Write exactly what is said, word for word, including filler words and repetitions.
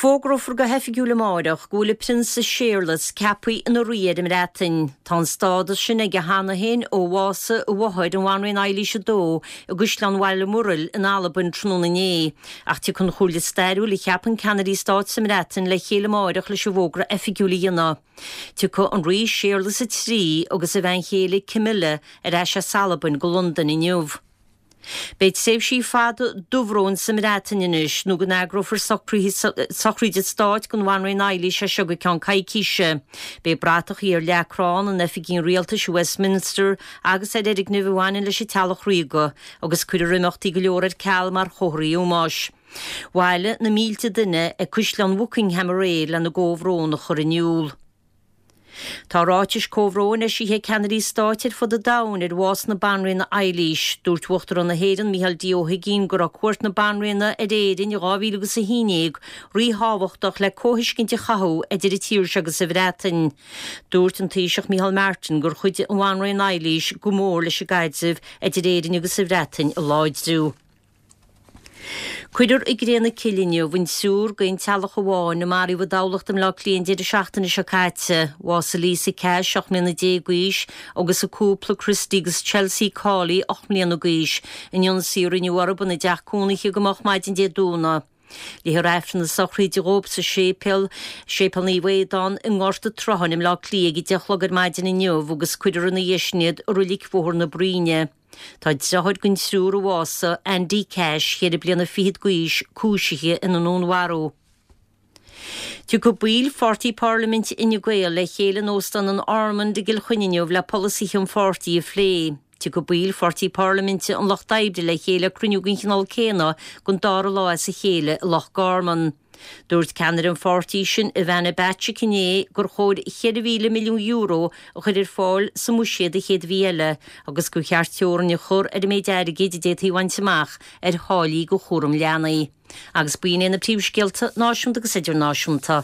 Fógrófar go hoifigiúil amárach go bhfuil an Prionsa Séarlas ceaptha ina rí ar an mBreatain. Tá an stádas sin aige cheana féin ó bhásaigh a mháthair an Bhanríon Eilís a dó i gCaisleán Bhalmoral in Albain tráthnóna inné, ach tiocfaidh an chomhairle stairiúil a cheapann ceannairí stáit sa mBreatain le chéile amárach leis an bhfógra oifigiúil a dhéanamh. Tiocfaidh an rí Séarlas a trí agus a bhean chéile Camilla ar ais as Albain go Londain inniu. Beidh tréimhsí fada dubhróin sa mBreatain anois nó go n-eagrófar sochraid stáit don Bhanríon Eilís as seo go ceann coicíse. Beidh bratachaí ar leac crann in oifigí an rialtais Westminster agus ar fhoirgnimh a bhaineann leis an teaghlach ríoga, agus cuirfear imeachtaí go leor ar ceal mar chomharthaí ómóis. Bhailigh na mílte duine ag Caisleán Buckingham aréir lena gcomhbhrón a chur in iúl. Tá ráitis comhbhróin eisithe ag ceannairí stáit ar fud an domhain ar bhás na Banríona Eilís. Dúirt Uachtarán na hÉireann Micheál D. Ó hUigínn go raibh cuairt na Banríona ar Éirinn dhá mhíle agus a haon déag ríthábhachtach le comhthuiscint a chothú idir an tír seo agus an Bhreatain. Dúirt an Taoiseach Micheál Martin gur chuidigh an Bhanríon Eilís go mór leis an gcaidreamh idir Éirinn agus an Bhreatain a láidriú. Cuirfear i gcré na cille inniu an triúr d'aon teaghlach amháin a maraíodh i dTamhlacht i mBleá Cliath an deireadh seachtaine seo caite. Bhásaigh Lisa Cash ocht mbliana déag d'aois agus a cúpla Christy agus Chelsea Cawley ocht mbliana d'aois in ionsaí a rinneadh orthu ina dteach cónaithe go moch maidin Dé Domhnaigh. Léifear Aifreann na sochraide dóibh sa séipéal, Séipéal Naomh Aodán i nGort an tSrutháin i mBleá Cliath ag a deich a chlog ar maidin inniu agus cuirfear ina dhiaidh sin iad i Reilig Bhóthar na Bruíne. Tá deartháir den triúr a bhásaigh, Andy Cash, ceithre bliana fichead d'aois, cúisithe ina ndúnmharú. Tiocfaidh baill Pháirtí Parlaiminte Fhine Gael le chéile in Óstán an Ormond i gCill Chainnigh inniu le polasaithe an pháirtí a phlé. Tiocfaidh baill Pháirtí Parlaiminte an Lucht Oibre le chéile cruinniú den chineál céanna don dara lá as a chéile i Loch Garman. Dúirt ceannaire an pháirtí sin Ivana Bacik inné gur chóir ceithre mhíle milliún euro a chur ar fáil sa mbuiséad an chéad mhí eile agus gur cheart teorainn a chur ar an méid airgid a d'fhéadfaí a bhaint amach ar tháillí do chúram leanaí. Agus b'in é na príomhscéalta náisiúnta agus idirnáisiúnta.